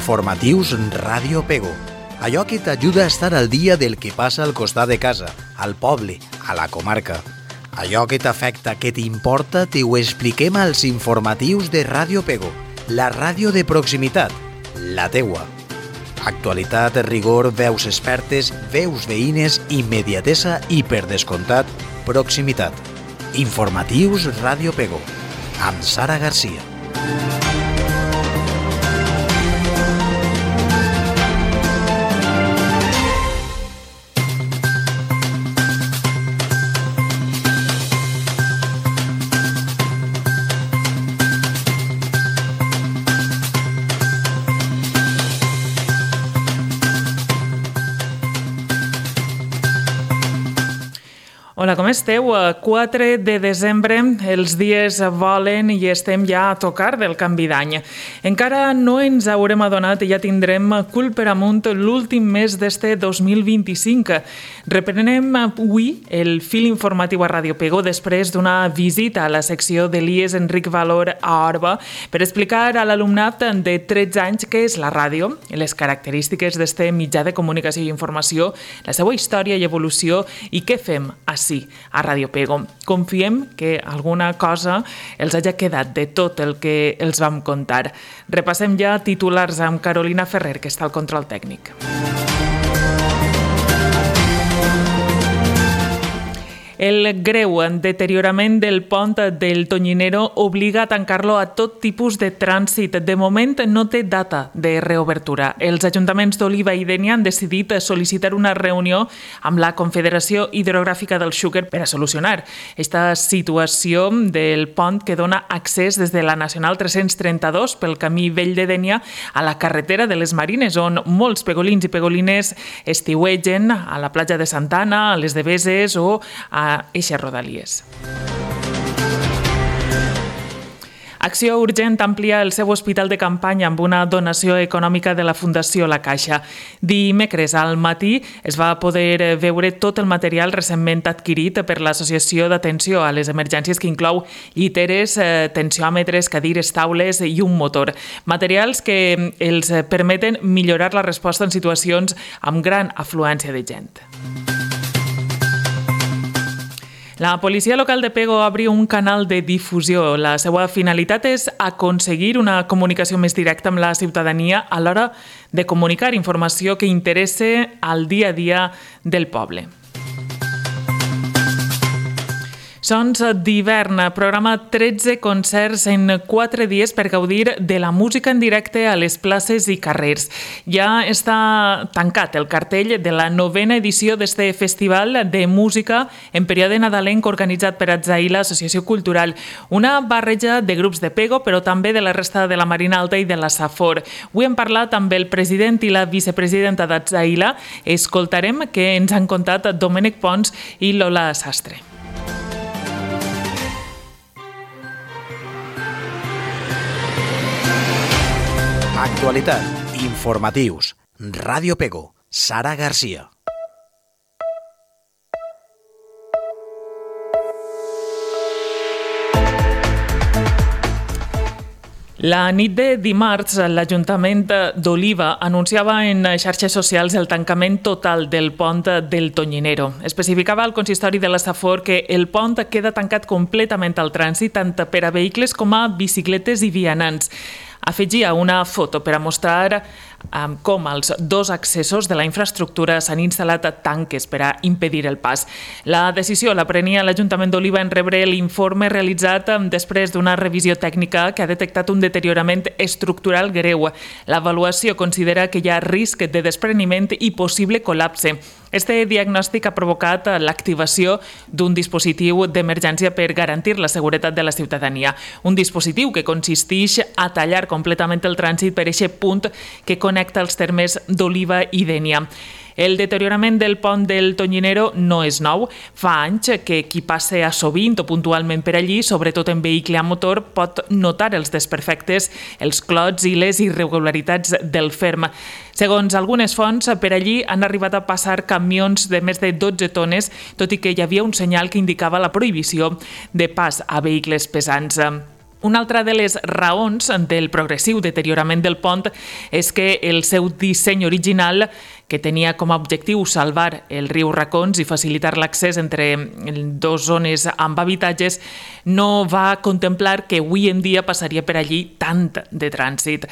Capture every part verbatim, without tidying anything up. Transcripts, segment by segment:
Informatius Ràdio Pego. Allò que t'ajuda a estar al dia del que passa al costat de casa, al poble, a la comarca. Allò que t'afecta, que t'importa, t'ho expliquem als informatius de Ràdio Pego, la ràdio de proximitat, la teua. Actualitat, rigor, veus expertes, veus veïnes, immediatesa i, per descomptat, proximitat. Informatius Ràdio Pego, amb Sara Garcia. Hola, com esteu? quatre de desembre, els dies volen i estem ja a tocar del canvi d'any. Encara no ens haurem adonat i ja tindrem cul per amunt l'últim mes d'este dos mil vint-i-cinc. Reprenem avui el fil informatiu a Ràdio Pego després d'una visita a la secció de l'I E S Enric Valor a Orba per explicar a l'alumnat de tretze anys què és la ràdio, les característiques d'este mitjà de comunicació i informació, la seva història i evolució i què fem ací a Ràdio Pego. Confiem que alguna cosa els hagi quedat de tot el que els vam contar. Repassem ja titulars amb Carolina Ferrer, que està al control tècnic. El greu deteriorament del pont del Tonyinero obliga a tancar-lo a tot tipus de trànsit. De moment no té data de reobertura. Els ajuntaments d'Oliva i Dénia han decidit sol·licitar una reunió amb la Confederació Hidrogràfica del Xúquer per a solucionar aquesta situació del pont que dona accés des de la Nacional tres-cents trenta-dos pel camí vell de Dénia a la carretera de les Marines, on molts pegolins i pegolines estiuegen a la platja de Santana, a les Deveses o a eixes rodalies. Acció Urgent amplia el seu hospital de campanya amb una donació econòmica de la Fundació La Caixa. Dimecres al matí es va poder veure tot el material recentment adquirit per l'Associació d'Atenció a les Emergències, que inclou lliteres, tensiòmetres, cadires, taules i un motor. Materials que els permeten millorar la resposta en situacions amb gran afluència de gent. La policia local de Pego obre un canal de difusió. La seva finalitat és aconseguir una comunicació més directa amb la ciutadania a l'hora de comunicar informació que interessa al dia a dia del poble. Sons d'hivern, programa tretze concerts en quatre dies per gaudir de la música en directe a les places i carrers. Ja està tancat el cartell de la novena edició d'este festival de música en període nadalenc organitzat per Atzaïla, Associació Cultural. Una barreja de grups de Pego, però també de la resta de la Marina Alta i de la Safor. Avui hem parlat amb el president i la vicepresidenta d'Atzaïla. Escoltarem què ens han contat Domènec Pons i Lola Sastre. Actualitat, informatius, Ràdio Pego, Sara Garcia. La nit de dimarts, l'Ajuntament d'Oliva anunciava en xarxes socials el tancament total del pont del Tonyinero. Especificava al consistori de la Safor que el pont queda tancat completament al trànsit tant per a vehicles com a bicicletes i vianants. Afegia una foto per a mostrar um, com als dos accessos de la infraestructura s'han instal·lat tanques per a impedir el pas. La decisió la prenia l'Ajuntament d'Oliva en rebre l'informe realitzat després d'una revisió tècnica que ha detectat un deteriorament estructural greu. L'avaluació considera que hi ha risc de despreniment i possible col·lapse. Este diagnòstic ha provocat l'activació d'un dispositiu d'emergència per garantir la seguretat de la ciutadania. Un dispositiu que consisteix a tallar completament el trànsit per aquest punt que connecta els termes d'Oliva i Dénia. El deteriorament del pont del Tonyinero no és nou. Fa anys que qui passa a sovint o puntualment per allí, sobretot en vehicle a motor, pot notar els desperfectes, els clots i les irregularitats del ferm. Segons algunes fonts, per allí han arribat a passar camions de més de dotze tones, tot i que hi havia un senyal que indicava la prohibició de pas a vehicles pesants. Una altra de les raons del progressiu deteriorament del pont és que el seu disseny original, que tenia com a objectiu salvar el riu Racons i facilitar l'accés entre dues zones amb habitatges, no va contemplar que avui en dia passaria per allí tant de trànsit.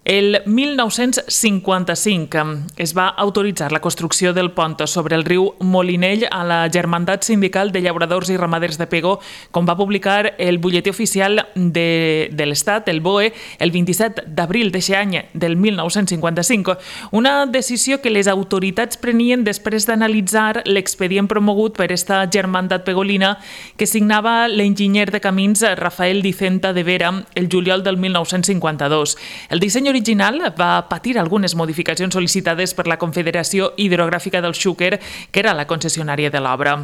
El mil nou-cents cinquanta-cinc es va autoritzar la construcció del pont sobre el riu Molinell a la Germandat Sindical de Llauradors i Ramaders de Pego, com va publicar el butlletí oficial de, de l'Estat, el B O E, el vint-i-set d'abril d'aquest any del mil nou-cents cinquanta-cinc. Una decisió que les autoritats prenien després d'analitzar l'expedient promogut per esta Germandat Pegolina que signava l'enginyer de camins Rafael Dicenta de Vera el juliol del mil nou-cents cinquanta-dos. El disseny original va patir algunes modificacions sol·licitades per la Confederació Hidrogràfica del Xúquer, que era la concessionària de l'obra.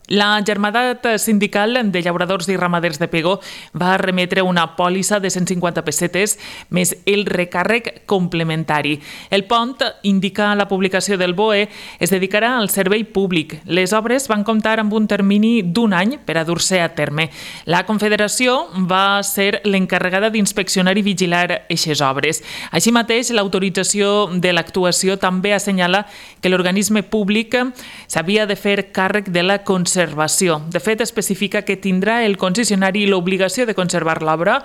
La Germandat Sindical de Llauradors i Ramaders de Pego va remetre una pòlissa de cent cinquanta pessetes més el recàrrec complementari. El pont, indica la publicació del B O E, es dedicarà al servei públic. Les obres van comptar amb un termini d'un any per a dur-se a terme. La Confederació va ser l'encarregada d'inspeccionar i vigilar aquestes obres. Així mateix, l'autorització de l'actuació també assenyala que l'organisme públic s'havia de fer càrrec de la conservació. De fet, especifica que tindrà el concessionari l'obligació de conservar l'obra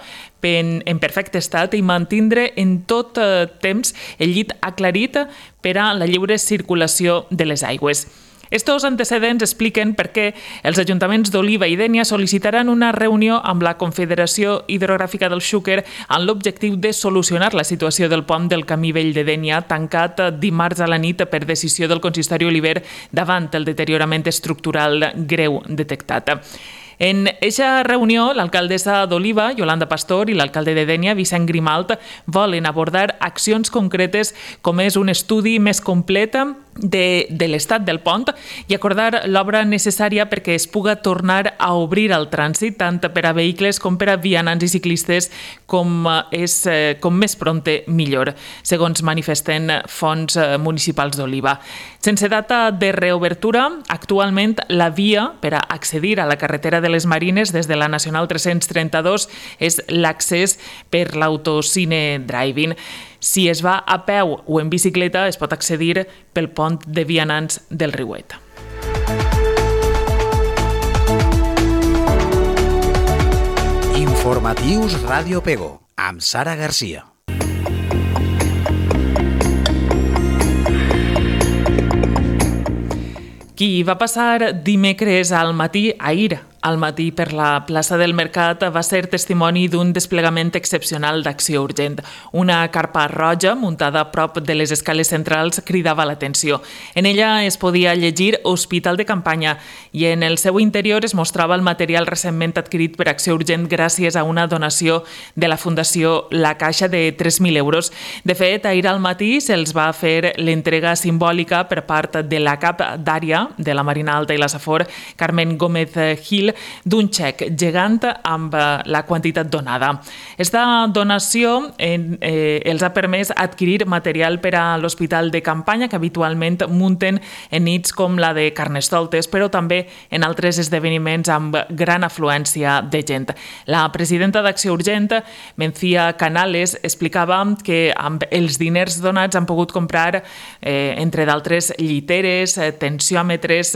en perfecte estat i mantindre en tot temps el llit aclarit per a la lliure circulació de les aigües. Estos antecedents expliquen per què els ajuntaments d'Oliva i Dénia sol·licitaran una reunió amb la Confederació Hidrogràfica del Xúquer amb l'objectiu de solucionar la situació del pont del Camí Vell de Dénia, tancat dimarts a la nit per decisió del consistori Oliver davant el deteriorament estructural greu detectat. En aquesta reunió, l'alcaldessa d'Oliva, Yolanda Pastor, i l'alcalde de Dénia, Vicent Grimalt, volen abordar accions concretes com és un estudi més complet de, de l'estat del pont i acordar l'obra necessària perquè es puga tornar a obrir el trànsit tant per a vehicles com per a vianants i ciclistes com, és, com més prompte millor, segons manifesten fonts municipals d'Oliva. Sense data de reobertura, actualment la via per a accedir a la carretera de les Marines des de la Nacional tres-cents trenta-dos és l'accés per l'autocine driving. Si es va a peu o en bicicleta, es pot accedir pel pont de vianants del Riuet. Informatius Ràdio Pego, amb Sara Garcia. Qui va passar dimecres al matí, ahir, al matí per la plaça del Mercat va ser testimoni d'un desplegament excepcional d'acció urgent. Una carpa roja muntada a prop de les escales centrals cridava l'atenció. En ella es podia llegir Hospital de Campanya i en el seu interior es mostrava el material recentment adquirit per acció urgent gràcies a una donació de la Fundació La Caixa de tres mil euros. De fet, ahir al matí se'ls va fer l'entrega simbòlica per part de la cap d'àrea de la Marina Alta i la Safor, Carmen Gómez Gil, d'un xec gegant amb la quantitat donada. Esta donació eh, els ha permès adquirir material per a l'Hospital de Campanya que habitualment munten en nits com la de Carnestoltes, però també en altres esdeveniments amb gran afluència de gent. La presidenta d'Acció Urgent, Mencía Canales, explicava que amb els diners donats han pogut comprar, eh, entre d'altres, lliteres, tensiòmetres,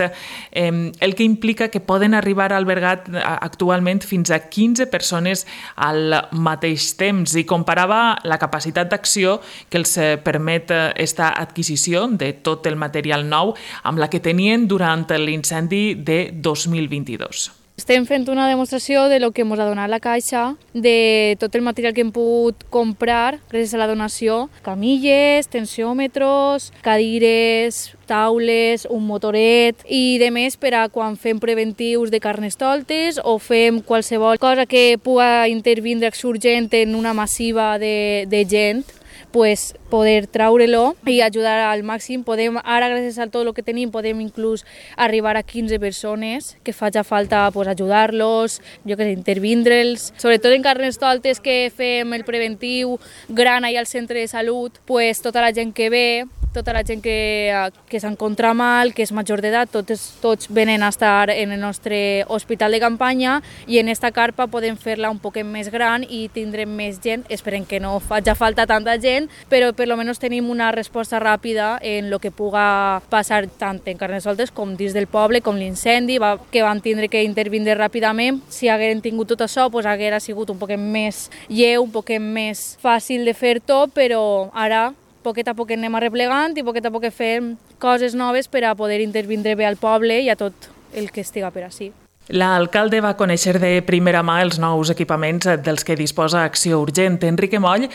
eh, el que implica que poden arribar al albergat actualment fins a quinze persones al mateix temps i comparava la capacitat d'acció que els permet esta adquisició de tot el material nou amb la que tenien durant l'incendi de dos mil vint-i-dos. Estem fent una demostració de lo que ens ha donat la Caixa, de tot el material que hem pogut comprar gràcies a la donació, camilles, tensiòmetres, cadires, taules, un motoret i de més per a quan fem preventius de Carnestoltes o fem qualsevol cosa que pugui intervindre Acció Urgent en una massiva de, de gent, pues poder traure-lo i ajudar al màxim. Podem, ara gràcies a tot el que tenim, podem inclús arribar a quinze persones que faci falta pues, ajudar-los, jo que sé, intervindre'ls. Sobretot en Carnestoltes que fem el preventiu gran allà al centre de salut, pues tota la gent que ve tota la gent que, que s'encontra mal, que és major d'edat, tots, tots venen a estar en el nostre hospital de campanya i en esta carpa podem fer-la un poquet més gran i tindrem més gent. Esperem que no faci falta tanta gent, però per almenys tenim una resposta ràpida en el que puga passar tant en Carnestoltes com dins del poble, com l'incendi, que van tindre que intervindre ràpidament. Si hagueren tingut tot això, doncs haguera sigut un poquet més lleu, un poquet més fàcil de fer tot, però ara poquet a poquet anem arreplegant i poquet a poquet fem coses noves per a poder intervindre bé al poble i a tot el que estiga per ací. L'alcalde va conèixer de primera mà els nous equipaments dels que disposa Acció Urgent. Enrique Moll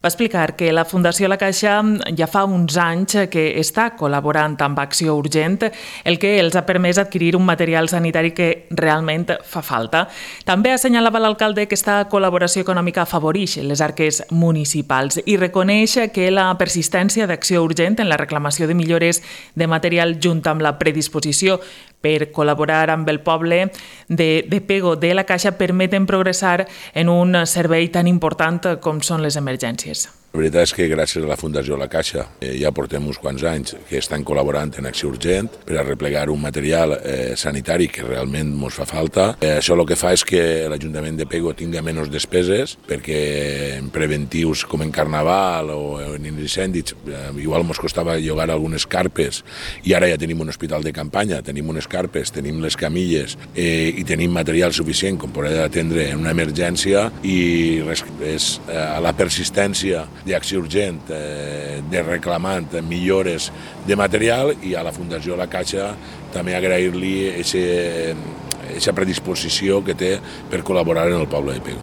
va explicar que la Fundació La Caixa ja fa uns anys que està col·laborant amb Acció Urgent, el que els ha permès adquirir un material sanitari que realment fa falta. També assenyalava l'alcalde que aquesta col·laboració econòmica afavoreix les arques municipals i reconeix que la persistència d'Acció Urgent en la reclamació de millores de material junt amb la predisposició per col·laborar amb el poble de, de Pego de la Caixa permeten progressar en un servei tan important com són les emergències. La veritat és que gràcies a la Fundació La Caixa eh, ja portem uns quants anys que estan col·laborant en Acció Urgent per a replegar un material eh, sanitari que realment ens fa falta. Eh, això el que fa és que l'Ajuntament de Pego tinga menys despeses perquè en preventius com en Carnaval o en incendis eh, igual ens costava llogar algunes carpes i ara ja tenim un hospital de campanya, tenim unes carpes, tenim les camilles eh, i tenim material suficient com per atendre en una emergència i res, és eh, a la persistència d'Acció Urgent, eh, de reclamant millores de material i a la Fundació La Caixa també agrair-li aquesta predisposició que té per col·laborar en el poble de Pego.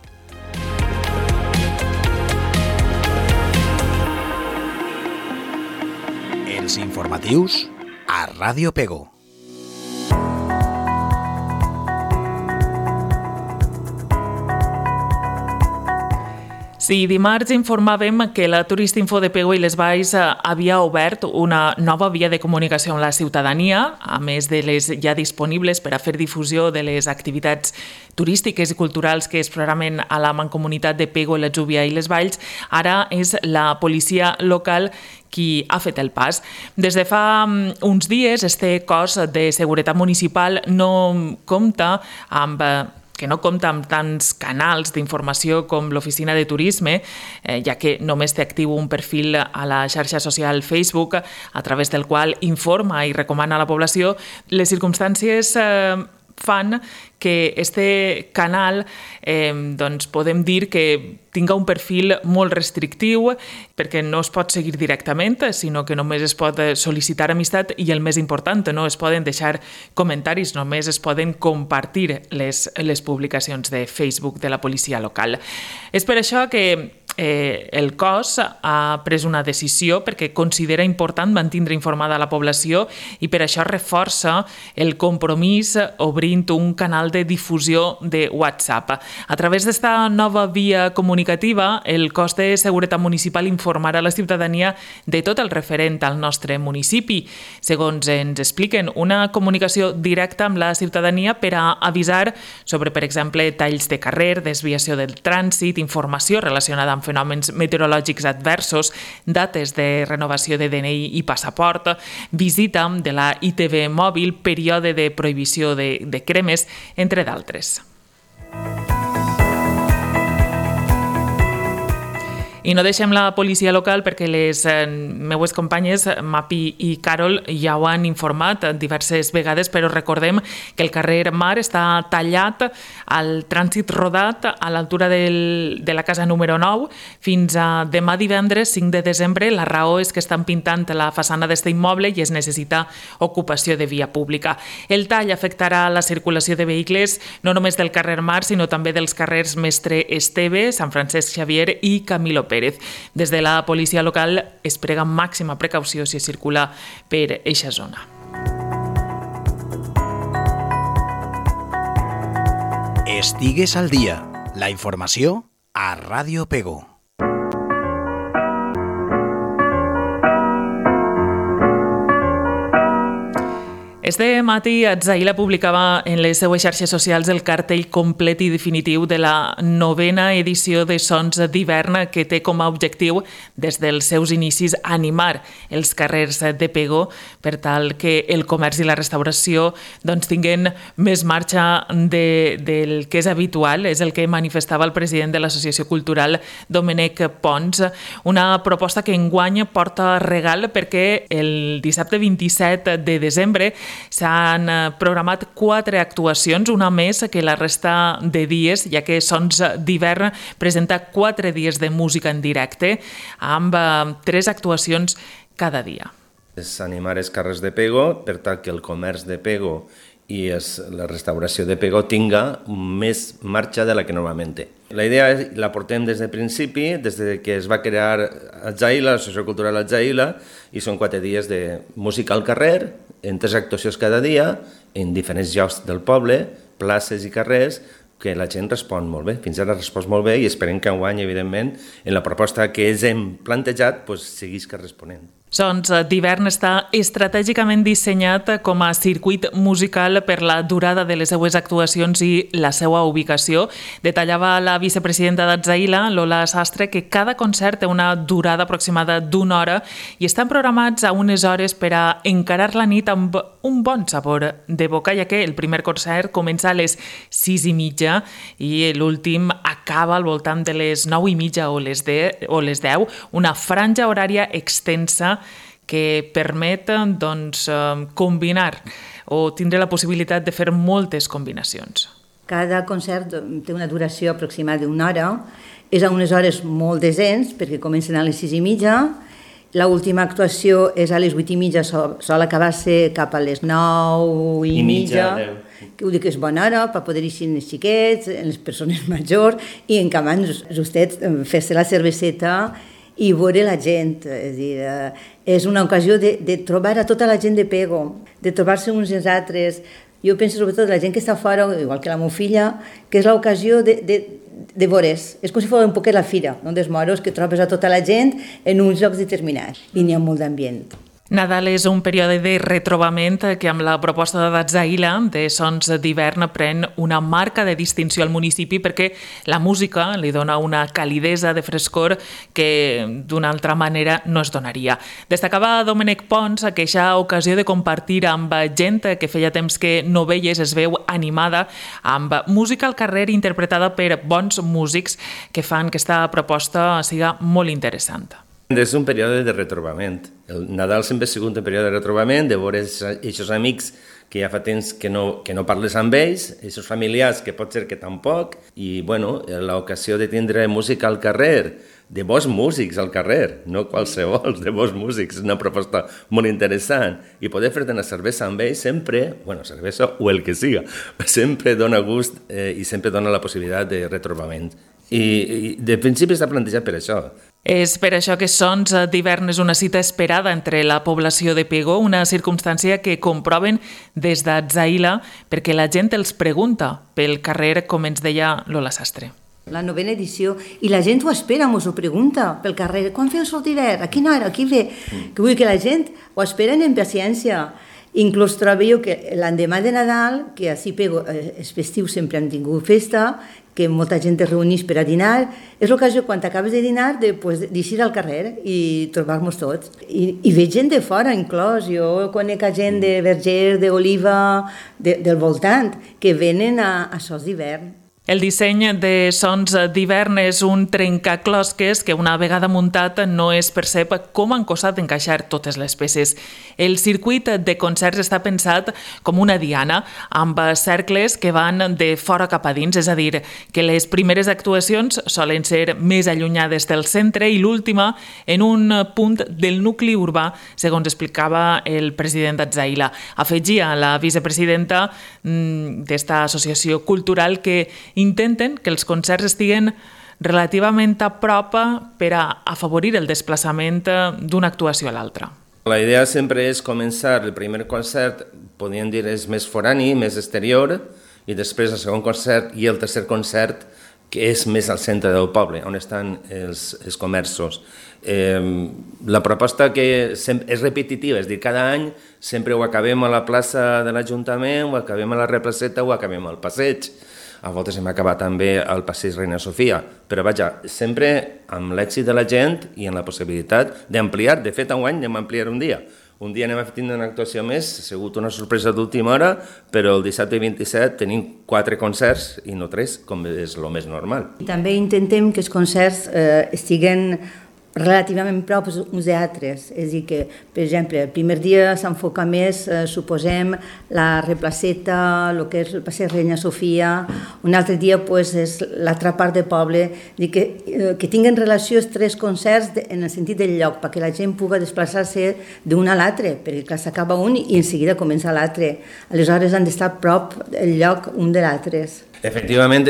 Els informatius a Ràdio Pego. Sí, dimarts informàvem que la Turistinfo de Pego i les Valls havia obert una nova via de comunicació amb la ciutadania, a més de les ja disponibles per a fer difusió de les activitats turístiques i culturals que es programen a la Mancomunitat de Pego, la Júbia i les Valls. Ara és la policia local qui ha fet el pas. Des de fa uns dies, este cos de seguretat municipal no compta amb que no compta amb tants canals d'informació com l'Oficina de Turisme, eh, ja que només té actiu un perfil a la xarxa social Facebook a través del qual informa i recomana a la població. Les circumstàncies eh, fan que este canal eh, doncs podem dir que tinga un perfil molt restrictiu perquè no es pot seguir directament, sinó que només es pot sol·licitar amistat i el més important, no es poden deixar comentaris, només es poden compartir les, les publicacions de Facebook de la policia local. És per això que Eh, el cos ha pres una decisió perquè considera important mantindre informada la població i per això reforça el compromís obrint un canal de difusió de WhatsApp. A través d'esta nova via comunicativa, el cos de seguretat municipal informarà la ciutadania de tot el referent al nostre municipi. Segons ens expliquen, una comunicació directa amb la ciutadania per a avisar sobre, per exemple, talls de carrer, desviació del trànsit, informació relacionada amb fenòmens meteorològics adversos, dates de renovació de D N I i passaport, visita de la I T V mòbil, període de prohibició de, de cremes, entre d'altres. I no deixem la policia local perquè les eh, meues companyes, Mapi i Carol, ja ho han informat diverses vegades, però recordem que el carrer Mar està tallat al trànsit rodat a l'altura del, de la casa número nou fins a demà divendres cinc de desembre. La raó és que estan pintant la façana d'este immoble i es necessita ocupació de via pública. El tall afectarà la circulació de vehicles no només del carrer Mar, sinó també dels carrers Mestre Esteve, Sant Francesc Xavier i Camilo Pérez. Des de la policia local es prega màxima precaució si es circula per eixa zona. Estigues al dia. La informació a Ràdio Pego. Este matí Atzaïla publicava en les seues xarxes socials el cartell complet i definitiu de la novena edició de Sons d'Hivern, que té com a objectiu, des dels seus inicis, animar els carrers de Pego per tal que el comerç i la restauració doncs, tinguin més marxa de, del que és habitual. És el que manifestava el president de l'Associació Cultural, Domènec Pons. Una proposta que enguany porta regal perquè el dissabte vint-i-set de desembre s'han programat quatre actuacions, una més que la resta de dies, ja que Sons d'Hivern presenta quatre dies de música en directe, amb tres actuacions cada dia. És animar els carrers de Pego per tal que el comerç de Pego i es, la restauració de Pego tinga més marxa de la que normalment té. La idea és, la portem des del principi, des que es va crear Atzaïla, l'Associació Cultural Atzaïla, i són quatre dies de música al carrer, en tres actuacions cada dia, en diferents llocs del poble, places i carrers, que la gent respon molt bé. Fins ara respon molt bé i esperem que enguany, evidentment, en la proposta que ens hem plantejat, doncs, seguís que responent. Sons d'Hivern està estratègicament dissenyat com a circuit musical per la durada de les seues actuacions i la seva ubicació. Detallava la vicepresidenta d'Atzaïla, Lola Sastre, que cada concert té una durada aproximada d'una hora i estan programats a unes hores per a encarar la nit amb un bon sabor de boca, ja que el primer concert comença a les sis i mitja i l'últim acaba al voltant de les nou i mitja o les, de, o les deu, una franja horària extensa que permet doncs, combinar o tindre la possibilitat de fer moltes combinacions. Cada concert té una duració aproximada d'una hora, és a unes hores molt decents perquè comencen a les sis i mitja, l'última actuació és a les vuit i mitja, sol acabar-se cap a les nou i, I mitja, mitja que ho dic que és bona hora per poder eixir els xiquets, les persones majors i en canvi justet fer-se la cerveseta i veure la gent. És, dir, és una ocasió de, de trobar a tota la gent de Pego, de trobar-se uns i els altres. Jo penso sobretot la gent que està fora, igual que la meva filla, que és l'ocasió de, de, de veure's. És com si fos un poquet la fira, no? Dels moros, que trobes a tota la gent en uns llocs determinats i n'hi ha molt d'ambient. Nadal és un període de retrobament que amb la proposta d'Atzaïla de Sons d'Hivern pren una marca de distinció al municipi perquè la música li dona una calidesa de frescor que d'una altra manera no es donaria. Destacava Domènec Pons que aquesta ocasió de compartir amb gent que feia temps que no veies es veu animada amb música al carrer interpretada per bons músics que fan que aquesta proposta siga molt interessant. És un període de retrobament. El Nadal sempre ha sigut un període de retrobament, de veure aquests amics que ja fa temps que no, que no parles amb ells, aquests familiars que pot ser que tampoc, i bueno, l'ocasió de tindre música al carrer, de bons músics al carrer, no qualsevol, de bons músics, és una proposta molt interessant, i poder fer-te una cervesa amb ells sempre, bueno, cervesa o el que siga, sempre dona gust eh, i sempre dona la possibilitat de retrobament. I, i de principi està plantejat per això. És per això que Sons d'Hivern és una cita esperada entre la població de Pego, una circumstància que comproven des d'Atzaïla perquè la gent els pregunta pel carrer, com ens deia Lola Sastre. La novena edició, i la gent ho espera, mos ho pregunta pel carrer, quan feu Sons d'Hivern? A quina hora? Aquí ve? Mm. Que vull dir que la gent ho esperen en paciència. Inclús trobo jo que l'endemà de Nadal, que així Pego, és festiu, sempre han tingut festa, que molta gent es reuneix per a dinar, és l'ocasió quan acabes de dinar d'eixir al carrer i trobar-nos tots. I, i veig gent de fora, inclòs. Jo conec a gent de Verger, d'Oliva, de, del voltant, que venen a, a Sons d'Hivern. El disseny de Sons d'Hivern és un trencaclosques que una vegada muntat no es percep com han costat encaixar totes les peces. El circuit de concerts està pensat com una diana, amb cercles que van de fora cap a dins, és a dir, que les primeres actuacions solen ser més allunyades del centre i l'última en un punt del nucli urbà, segons explicava el president d'Atzaïla. Afegia la vicepresidenta d'esta associació cultural que intenten que els concerts estiguen relativament a prop per a afavorir el desplaçament d'una actuació a l'altra. La idea sempre és començar el primer concert, podríem dir, és més forani, més exterior, i després el segon concert i el tercer concert que és més al centre del poble, on estan els, els comerços. Eh, la proposta que és repetitiva, és a dir, cada any sempre ho acabem a la plaça de l'Ajuntament, ho acabem a la Replaceta, ho acabem al passeig. A voltes hem acabat també al passeig Reina Sofia, però vaja, sempre amb l'èxit de la gent i amb la possibilitat d'ampliar. De fet, enguany anem a ampliar un dia. Un dia anem a tindre una actuació més, ha sigut una sorpresa d'última hora, però el dissabte vint-i-set tenim quatre concerts i no tres, com és el més normal. I també intentem que els concerts eh, estiguen relativament prop uns altres, és a dir que, per exemple, el primer dia s'enfoca més, eh, suposem, la Replaceta, el que és el passeig Reina Sofia, un altre dia pues, és l'altra part del poble, dir que, eh, que tinguen relació els tres concerts de, en el sentit del lloc, perquè la gent pugui desplaçar-se d'un a l'altre, perquè clar, s'acaba un i en seguida comença l'altre. Aleshores han d'estar a prop el lloc un de l'altre. Efectivament,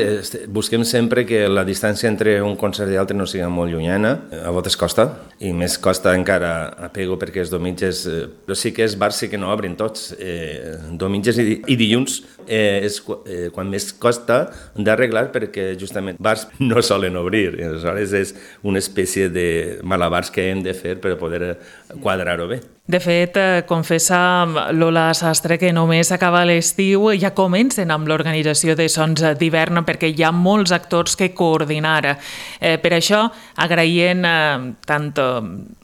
busquem sempre que la distància entre un concert i l'altre no sigui molt llunyana. A voltes costa, i més costa encara a Pego perquè els diumenges, però sí que els bars sí que no obrin tots. Eh, diumenges i, i dilluns eh, és eh, quan més costa d'arreglar perquè justament bars no solen obrir. Aleshores és una espècie de malabars que hem de fer per poder quadrar-ho bé. De fet, confessa Lola Sastre que només acaba l'estiu i ja comencen amb l'organització de Sons d'hivern perquè hi ha molts actors que coordinar. Eh, per això, agraient eh, tant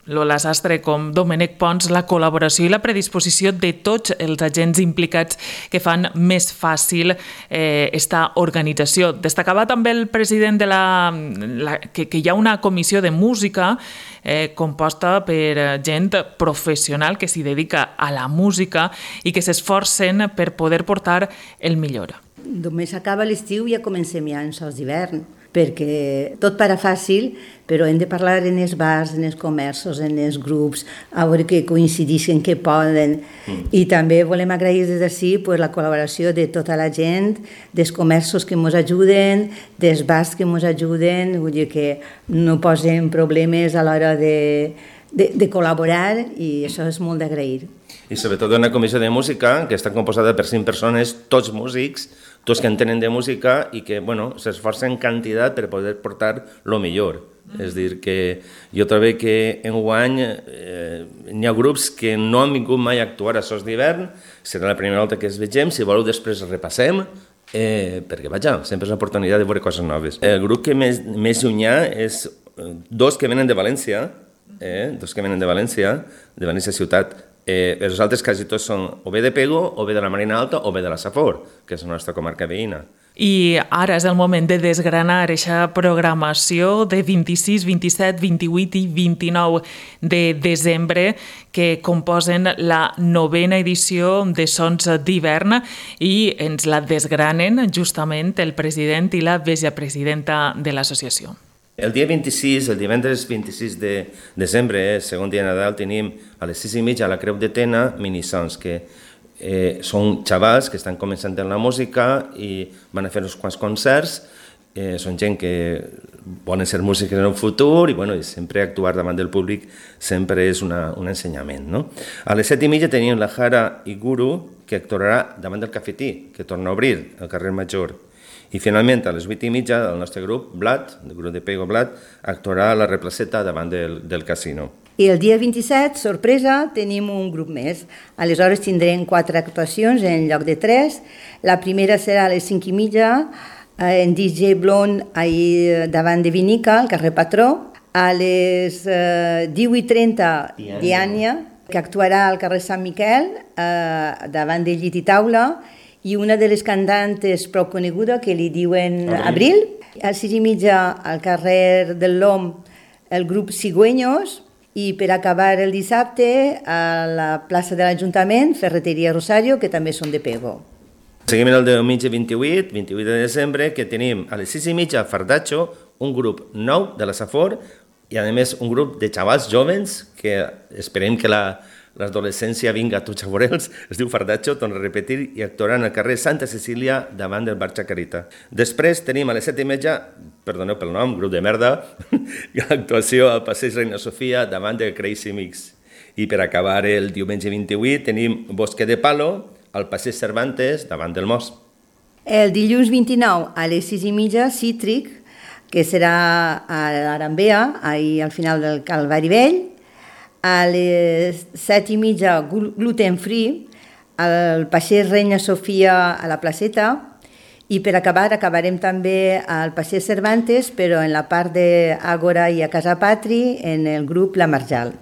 Lola Sastre com Domènec Pons la col·laboració i la predisposició de tots els agents implicats que fan més fàcil eh, esta organització. Destacava també el president de la, la que, que hi ha una comissió de música eh, composta per gent professional que s'hi dedica a la música i que s'esforcen per poder portar el millor. Només acaba l'estiu i ja comencem ja en Sons d'hivern, perquè tot para fàcil, però hem de parlar en els bars, en els comerços, en els grups, a veure que coincidissin, que poden. Mm. I també volem agrair des d'ací pues, la col·laboració de tota la gent, dels comerços que ens ajuden, dels bars que ens ajuden, vull dir que no posem problemes a l'hora de, de, de col·laborar i això és molt d'agrair. I sobretot una comissió de música que està composada per cinc persones, tots músics, tots que entenen de música i que bueno, s'esforcen en quantitat per poder portar el millor. Mm. És a dir, que jo trobo que enguany eh, hi ha grups que no han vingut mai a actuar a Sons d'hivern, serà la primera volta que els vegem, si voleu després repassem, eh, perquè vaja, sempre és una oportunitat de veure coses noves. El grup que més, més llunyà és dos que venen de València, eh, dos que venen de València, de València ciutat. Eh, els altres quasi tots són o bé de Pego, o bé de la Marina Alta, o bé de la Safor, que és la nostra comarca veïna. I ara és el moment de desgranar aquesta programació de vint-i-sis, vint-i-set, vint-i-vuit i vint-i-nou de desembre que composen la novena edició de Sons d'hivern i ens la desgranen justament el president i la vicepresidenta de l'associació. El dia vint-i-sis, el divendres vint-i-sis de desembre, eh, segon dia de Nadal, tenim a les sis i mitja a la Creu de Tena minisons, que eh, són xavals que estan començant en la música i van a fer uns quants concerts. Eh, són gent que volen ser músics en el futur i, bueno, i sempre actuar davant del públic sempre és una, un ensenyament. No? A les set i mitja tenim la Jara i Guru, que actuarà davant del cafetí, que torna a obrir al carrer Major. I finalment, a les vuit i mitja, el nostre grup, Blat, el grup de Pego Blat, actuarà a la Replaceta davant del, del casino. I el dia vint-i-set, sorpresa, tenim un grup més. Aleshores tindrem quatre actuacions en lloc de tres. La primera serà a les cinc i mitja, en D J Blond, ahir davant de Vinica, al carrer Patró. A les eh, divuit i trenta, Diània, que actuarà al carrer Sant Miquel, eh, davant de Llit i Taula, i una de les cantantes prou coneguda, que li diuen Abril. A les sis i mitja, al carrer del Lom, el grup Cigüeños, i per acabar el dissabte, a la plaça de l'Ajuntament, Ferreteria Rosario, que també són de Pego. Seguim el diumenge vint-i-vuit, vint-i-vuit de desembre, que tenim a les sis i mitja a Fardatxo, un grup nou de la Safor, i a més un grup de xavals jovens, que esperem que la l'adolescència vinga a tots a veure'ls, es diu Fardatxo, torna a repetir, i actuaran al carrer Santa Cecília davant del bar Chacarita. Després tenim a les set i mitja, perdoneu pel nom, grup de merda, actuació al passeig Reina Sofia davant del Crazy Mix. I per acabar el diumenge vint-i-vuit tenim Bosque de Palo al passeig Cervantes davant del Mos. El dilluns vint-i-nou a les sis i mitja, Cítric, que serà a l'Arambea, ahir al final del Calvari Vell, a les set i mitja gluten free, al Passeig Reina Sofia a la placeta, i per acabar, acabarem també al Passeig Cervantes, però en la part d'Àgora i a Casa Patri, en el grup La Marjal.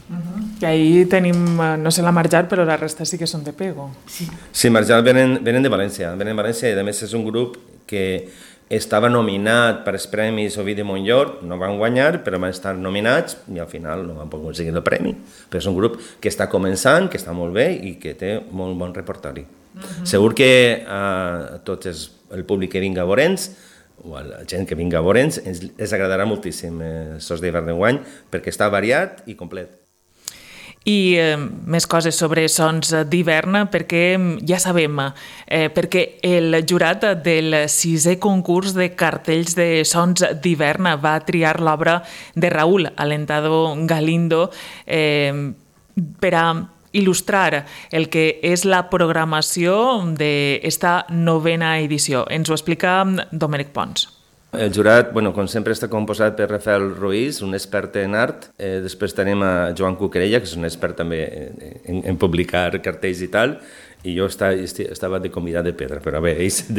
Uh-huh. I ahir tenim, no sé la Marjal, però la resta sí que són de Pego. Sí, sí, Marjal venen, venen de València, venen de València i a més és un grup que estava nominat per als Premis Ovidi Montllor, no van guanyar, però van estar nominats i al final no van poder aconseguir el premi. Però és un grup que està començant, que està molt bé i que té molt bon repertori. Uh-huh. Segur que a tot els, el públic que vinga a veure'ns, o a la gent que vinga a veure'ns, ens, ens agradarà moltíssim eh, Sos d'hivern d'enguany perquè està variat i complet. I eh, més coses sobre Sons d'hivern, perquè ja sabem, eh, perquè el jurat del sisè concurs de cartells de Sons d'hivern va triar l'obra de Raúl Alentado Galindo eh, per a il·lustrar el que és la programació d'esta novena edició. Ens ho explica Domènec Pons. El jurat, bueno, com sempre, està composat per Rafael Ruiz, un expert en art. Eh, després tenim a Joan Cuquerella, que és un expert també en, en publicar cartells i tal, i jo estava, estava de convidat de pedra, però bé, ells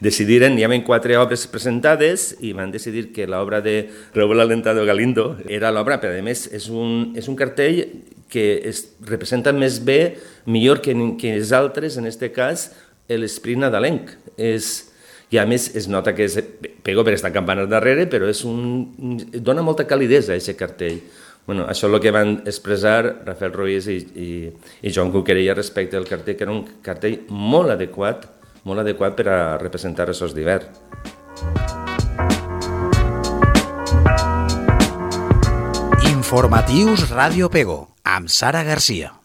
decidiren, hi havia quatre obres presentades i van decidir que l'obra de Raúl Alentado Galindo era l'obra, però a més és un, és un cartell que es representa més bé, millor que, que els altres, en aquest cas, l'esprit nadalenc. És, i a més es nota que és Pego per estar campanes darrere, però és un, dona molta calidesa a aquest cartell. Bueno, això és el que van expressar Rafael Ruiz i, i, i Joan Cuquerella respecte al cartell, que era un cartell molt adequat, molt adequat per a representar els Sos d'hivern. Informatius Ràdio Pego, amb Sara Garcia.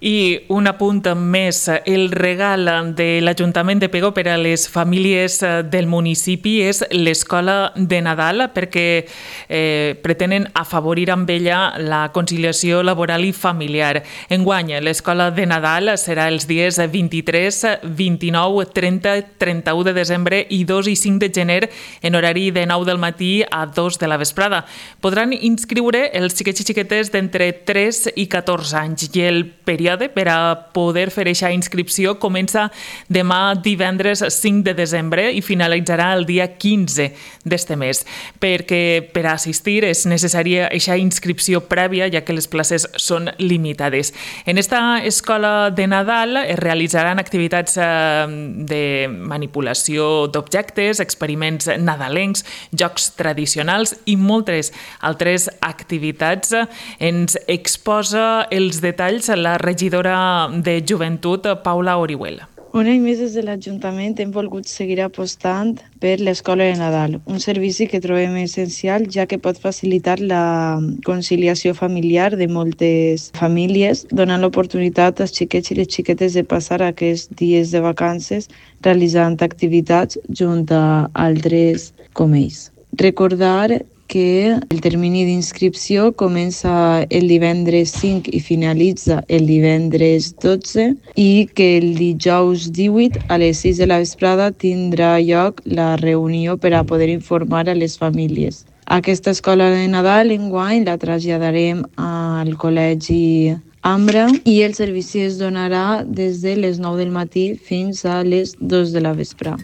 I un apunt més, el regal de l'Ajuntament de Pego per a les famílies del municipi és l'Escola de Nadal, perquè eh, pretenen afavorir amb ella la conciliació laboral i familiar. Enguany, l'Escola de Nadal serà els dies vint-i-tres, vint-i-nou, trenta, trenta-u de desembre i dos i cinc de gener en horari de nou del matí a dos de la vesprada. Podran inscriure els xiquets i xiquetes d'entre tres i catorze anys i el període per a poder fer aquesta inscripció comença demà divendres cinc de desembre i finalitzarà el dia quinze d'este mes, perquè per a assistir és necessària aquesta inscripció prèvia, ja que les places són limitades. En esta escola de Nadal es realitzaran activitats de manipulació d'objectes, experiments nadalencs, jocs tradicionals i moltes altres activitats. Ens exposa els detalls la regidora de Joventut, Paula Orihuela. Un any més des de l'Ajuntament hem volgut seguir apostant per l'Escola de Nadal, un servici que trobem essencial ja que pot facilitar la conciliació familiar de moltes famílies, donant l'oportunitat als xiquets i les xiquetes de passar aquests dies de vacances realitzant activitats junt a altres com ells. Recordar que el termini d'inscripció comença el divendres cinc i finalitza el divendres dotze i que el dijous divuit a les sis de la vesprada tindrà lloc la reunió per a poder informar a les famílies. Aquesta escola de Nadal enguany la traslladarem al Col·legi Ambra i el servici es donarà des de les nou del matí fins a les dos de la vesprada.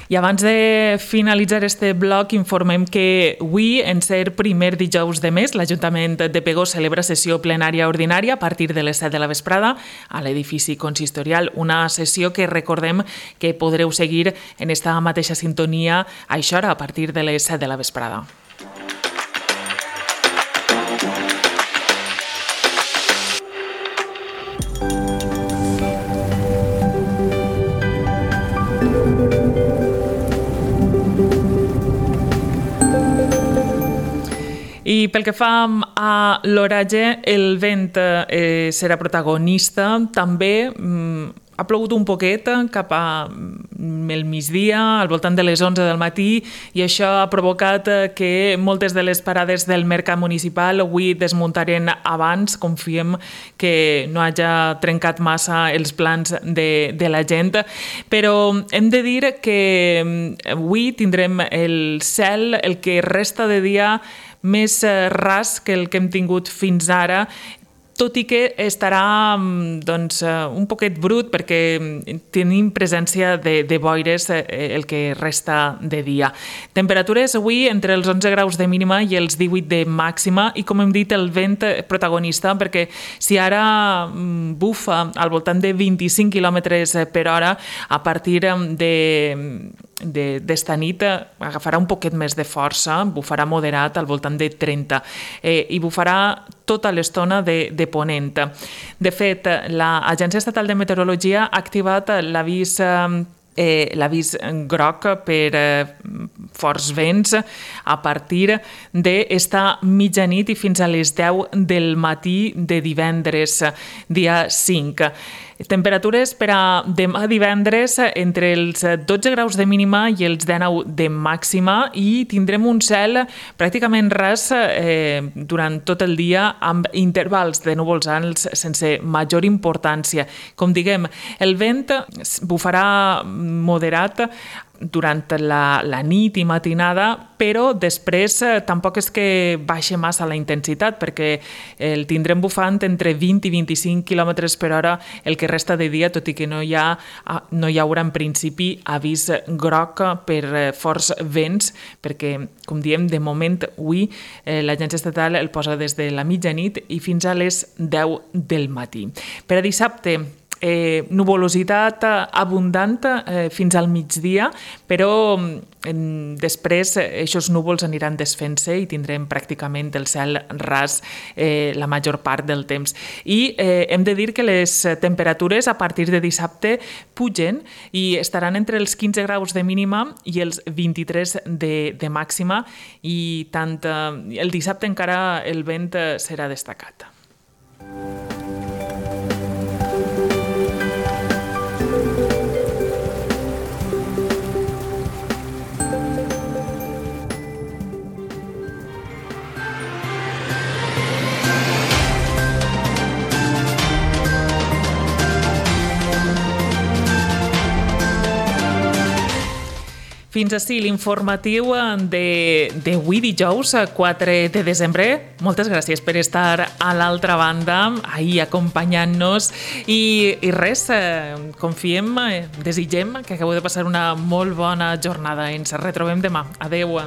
I abans de finalitzar este bloc, informem que avui, en ser primer dijous de mes, l'Ajuntament de Pego celebra sessió plenària ordinària a partir de les set de la vesprada a l'edifici consistorial. Una sessió que recordem que podreu seguir en esta mateixa sintonia a aquesta hora, a partir de les set de la vesprada. I pel que fa a l'oratge, el vent eh, serà protagonista. També mm, ha plogut un poquet cap al migdia, al voltant de les onze del matí, i això ha provocat que moltes de les parades del mercat municipal avui desmuntaren abans. Confiem que no hagi trencat massa els plans de, de la gent, però hem de dir que avui tindrem el cel, el que resta de dia, més ras que el que hem tingut fins ara, tot i que estarà doncs, un poquet brut perquè tenim presència de, de boires el que resta de dia. Temperatures avui entre els onze graus de mínima i els divuit de màxima, i com hem dit, el vent protagonista, perquè si ara bufa al voltant de vint-i-cinc quilòmetres per hora, a partir de d'esta nit agafarà un poquet més de força, bufarà moderat al voltant de trenta, eh, i bufarà tota l'estona de, de ponent. De fet, l'Agència Estatal de Meteorologia ha activat l'avís eh, l'avís groc per eh, forts vents a partir d'esta mitjanit i fins a les deu del matí de divendres, dia cinc. Temperatures per a demà divendres entre els dotze graus de mínima i els dinou de màxima, i tindrem un cel pràcticament ras eh, durant tot el dia, amb intervals de núvols alts sense major importància. Com diguem, el vent bufarà moderat durant la, la nit i matinada, però després eh, tampoc és que baixa massa la intensitat, perquè el tindrem bufant entre vint i vint-i-cinc quilòmetres per hora el que resta de dia, tot i que no hi ha, no hi haurà en principi avís groc per eh, forts vents, perquè, com diem, de moment avui eh, l'Agència Estatal el posa des de la mitjanit i fins a les deu del matí. Per a dissabte, Eh, nuvolositat abundant eh, fins al migdia, però eh, després aquests núvols aniran desfent-se i tindrem pràcticament el cel ras eh, la major part del temps. I eh, hem de dir que les temperatures a partir de dissabte pugen i estaran entre els quinze graus de mínima i els vint-i-tres de, de màxima, i tant eh, el dissabte encara el vent serà destacat. Fins ací l'informatiu d'avui dijous, quatre de desembre. Moltes gràcies per estar a l'altra banda, ahir acompanyant-nos, i, i res, confiem, desitgem que acabeu de passar una molt bona jornada. Ens retrobem demà. Adeu.